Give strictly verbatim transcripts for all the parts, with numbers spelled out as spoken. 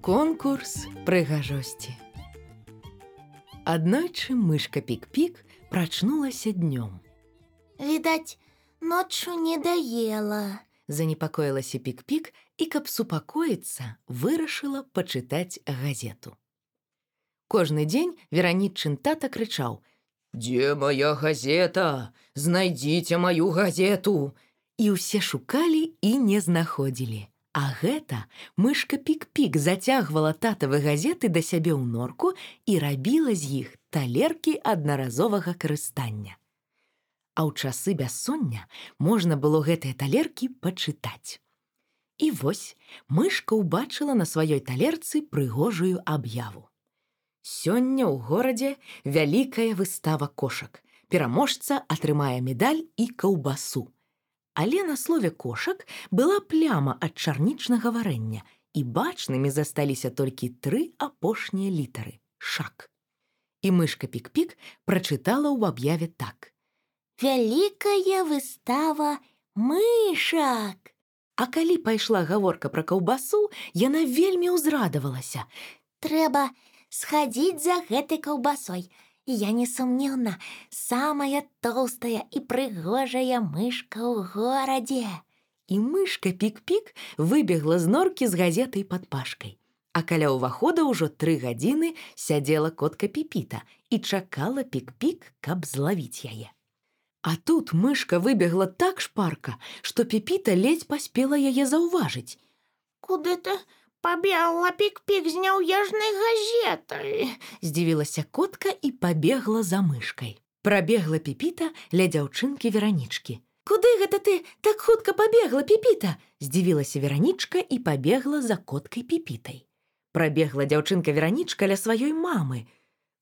Конкурс прыгажосці. Аднойчы мышка Пік-Пік прачнулася днём. Відаць, ноччу не даела. Занепакоілася Пік-Пік і, каб супакоіцца, вырашыла пачытаць газету. Кожны дзень Веранічын тата крычаў: «Дзе моя газета? Знайдзіце маю газету!» І ўсе шукалі і не знаходзілі. А гэта мышка Пік-Пік зацягвала татавы газеты да сябе ў норку і рабіла з іх талеркі аднаразовага карыстання. А ў часы бяссоння можна было гэтыя талеркі пачытаць. І вось мышка ўбачыла на сваёй талерцы прыгожую аб'яву. Сёння ў горадзе вялікая выстава кошак. Пераможца атрымае медаль і каўбасу. Але на слове «кошак» была пляма ад чарнічнага варэння, і бачнымі засталіся толькі тры апошнія літары – «шак». І мышка Пік-Пік прачытала ў аб'яве так: «Вялікая выстава мышак». А калі пайшла гаворка пра каўбасу, яна вельмі ўзрадавалася. «Трэба схадзіць за гэтай каўбасой. Я несумнеўна самая тоўстая і прыгожая мышка ў горадзе». І мышка Пік-Пік выбегла з норкі з газетай пад пашкай. А каля ўвахода ўжо тры гадзіны сядзела котка Піпіта і чакала Пік-Пік, каб злавіць яе. А тут мышка выбегла так шпарка, што Піпіта ледзь паспела яе заўважыць. «Куды ты пабегла, Пік-Пік, з няўяжнай газетай?» Здзівілася котка і пабегла за мышкай. Прабегла Піпіта ля дзяўчынкі Веранічкі. «Куды гэта ты так хутка пабегла, Піпіта?» Здзівілася Веранічка і пабегла за коткай Піпітай. Прабегла дзяўчынка Веранічка ля сваёй мамы.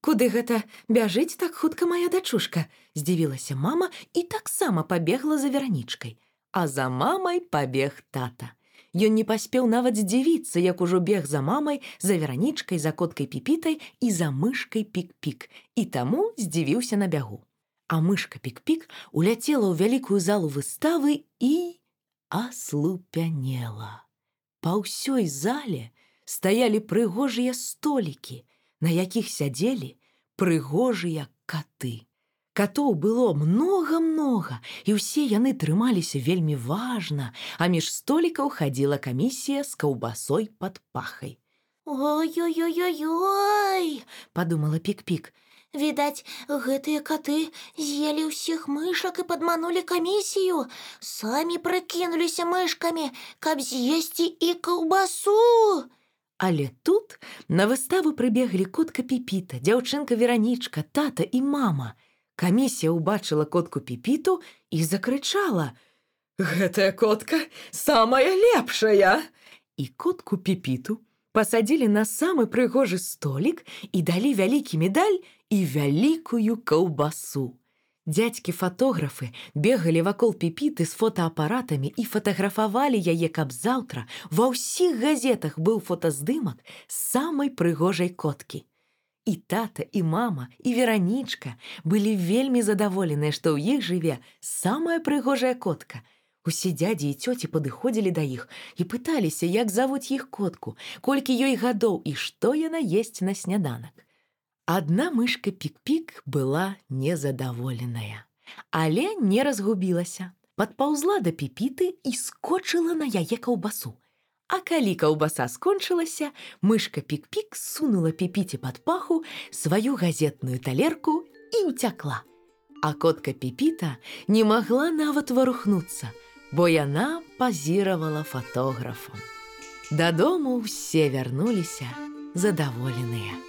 «Куды гэта бяжыць так хутка мая дачушка?» Здзівілася мама і таксама пабегла за Веранічкай. А за мамай пабег тата. Ён не паспеў нават здзівіцца, як ужо бег за мамай, за Веранічкай, за коткай Піпітай і за мышкай Пік-Пік, і таму здзівіўся на бягу. А мышка Пік-Пік уляцела ў вялікую залу выставы і аслупянела. Па ўсёй зале стаялі прыгожыя столікі, на якіх сядзелі прыгожыя каты. Катоў было многа-многа, і ўсе яны трымаліся вельмі важна, а між столікаў хадзіла камісія з каўбасой пад пахай. «Ой-ой-ой-ой-ой!» – падумала Пік-Пік. «Відаць, гэтыя каты з'елі ўсіх мышак і падманулі камісію. Самі прыкінуліся мышкамі, каб з'есці і каўбасу». Але тут на выставу прыбеглі котка Піпіта, дзяўчынка Веранічка, тата і мама. Камісія ўбачыла котку Піпіту і закрычала: «Гэтая котка самая лепшая!» І котку Піпіту пасадзілі на самы прыгожы столік і далі вялікі медаль і вялікую каўбасу. Дзядзькі-фатографы бегалі вакол Піпіты з фотаапаратамі і фатаграфавалі яе, каб заўтра ва ўсіх газетах быў фотаздымак самай прыгожай коткі. І тата, і мама, і Веранічка былі вельмі задаволеныя, што ў іх жыве самая прыгожая котка. Усе дзядзі і цёці падыходзілі да іх і пыталіся, як завуць іх котку, колькі ёй гадоў і што яна есць на сняданак. Адна мышка Пік-Пік была незадаволеная, але не разгубілася. Падпаўзла да Піпіты і скочыла на яе каўбасу. А калі каўбаса скончылася, мышка Пік-Пік сунула Піпіце пад паху сваю газетную талерку і ўцякла. А котка Піпіта не магла нават варухнуцца, бо яна пазіравала фатографам. Дадому ўсе вярнуліся задаволеныя.